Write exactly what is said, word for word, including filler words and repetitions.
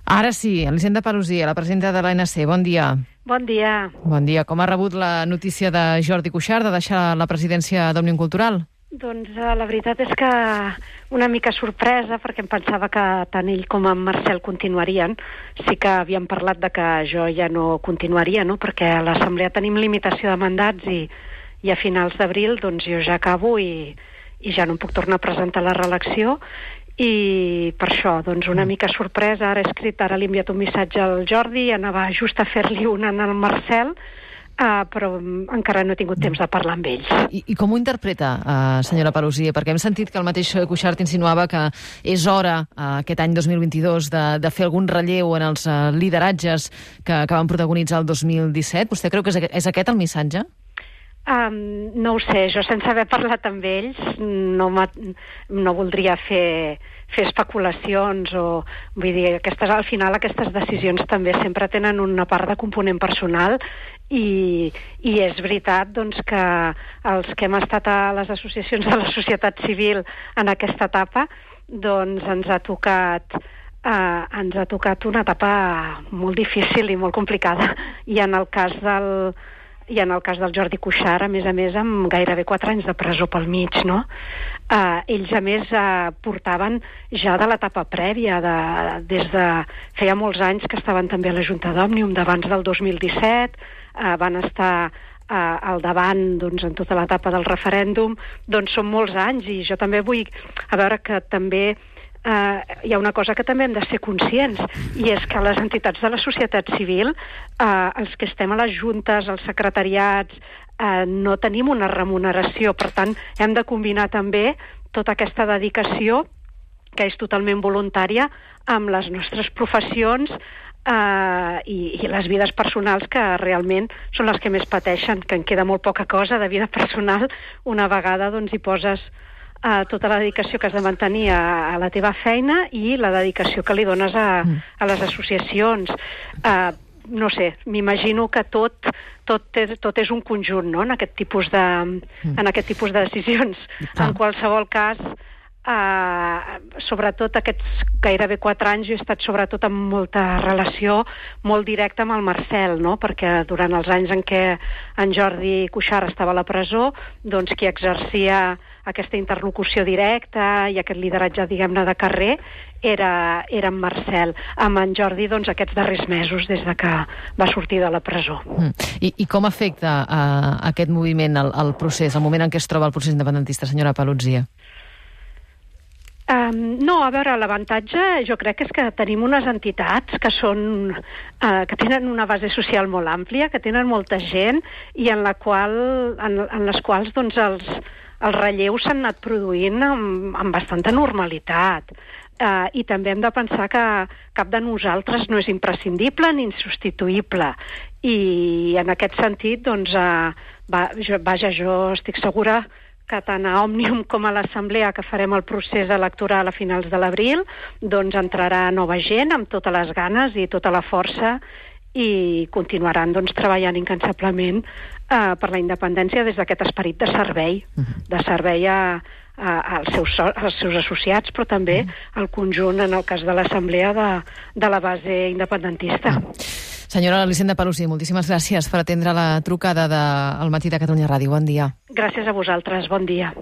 Ara sí, Elisenda Paluzie, la presidenta de l'A N C. Bon dia. Bon dia. Bon dia. Com ha rebut la notícia de Jordi Cuixart de deixar la presidència d'Òmnium Cultural? Doncs eh, la veritat és que una mica sorpresa, perquè em pensava que tant ell com en Marcel continuarien. Sí que havíem parlat de que jo ja no continuaria, no? Perquè a l'Assemblea tenim limitació de mandats i, i a finals d'abril doncs jo ja acabo i, i ja no em puc tornar a presentar la reelecció. I per això, doncs una mica sorpresa, ara he escrit, ara li he enviat un missatge al Jordi, anava just a fer-li una al Marcel, uh, però encara no he tingut temps de parlar amb ells. I, i com ho interpreta, uh, senyora Paluzie? Perquè hem sentit que el mateix Cuixart insinuava que és hora, uh, aquest any dos mil vint-i-dos, de, de fer algun relleu en els uh, lideratges que, que van protagonitzar el dos mil disset. Vostè creu que és, és aquest el missatge? Um, no ho sé, jo sense haver parlat amb ells no, no voldria fer, fer especulacions o vull dir, aquestes, al final aquestes decisions també sempre tenen una part de component personal i, i és veritat doncs, que els que hem estat a les associacions de la societat civil en aquesta etapa doncs ens ha tocat uh, ens ha tocat una etapa molt difícil i molt complicada, i en el cas del i en el cas del Jordi Cuixart, a més a més, amb gairebé quatre anys de presó pel mig, no? Eh, ells, a més, eh, portaven ja de l'etapa prèvia, de, des de... feia molts anys que estaven també a la Junta d'Òmnium, d'abans del dos mil disset, eh, van estar eh, al davant, doncs, en tota l'etapa del referèndum, doncs són molts anys, i jo també vull... A veure que també... Uh, hi ha una cosa que també hem de ser conscients, i és que les entitats de la societat civil, uh, els que estem a les juntes, als secretariats, uh, no tenim una remuneració. Per tant, hem de combinar també tota aquesta dedicació, que és totalment voluntària, amb les nostres professions uh, i, i les vides personals, que realment són les que més pateixen, que en queda molt poca cosa de vida personal una vegada doncs, hi poses a tota la dedicació que has de mantenir a, a la teva feina i la dedicació que li dones a, a les associacions. Uh, no sé, m'imagino que tot, tot, és, tot és un conjunt, no?, en aquest tipus de, en aquest tipus de decisions. En qualsevol cas, uh, sobretot aquests gairebé quatre anys, jo he estat sobretot amb molta relació molt directa amb el Marcel, no?, perquè durant els anys en què en Jordi Cuixart estava a la presó, doncs qui exercia aquesta interlocució directa i aquest lideratge, diguem-ne, de carrer, era, era en Marcel. Amb en Jordi, doncs, aquests darrers mesos, des de que va sortir de la presó. Mm. I, I com afecta uh, aquest moviment, el, el procés, el moment en què es troba el procés independentista, senyora Paluzie? Um, no, a veure, l'avantatge jo crec que és que tenim unes entitats que són, uh, que tenen una base social molt àmplia, que tenen molta gent i en, la qual, en, en les quals doncs, els, els relleus s'han anat produint amb, amb bastanta normalitat. Uh, I també hem de pensar que cap de nosaltres no és imprescindible ni insubstituïble. I en aquest sentit, doncs, uh, va, jo, vaja, jo estic segura que tant a Òmnium com a l'Assemblea, que farem el procés electoral a finals de l'abril, doncs entrarà nova gent amb totes les ganes i tota la força i continuaran doncs, treballant incansablement eh, per la independència des d'aquest esperit de servei, de servei a, a, als, seus, als seus associats, però també al conjunt, en el cas de l'Assemblea, de, de la base independentista. Senyora Elisenda Paluzie, moltíssimes gràcies per atendre la trucada del Matí de Catalunya Ràdio. Bon dia. Gràcies a vosaltres, bon dia.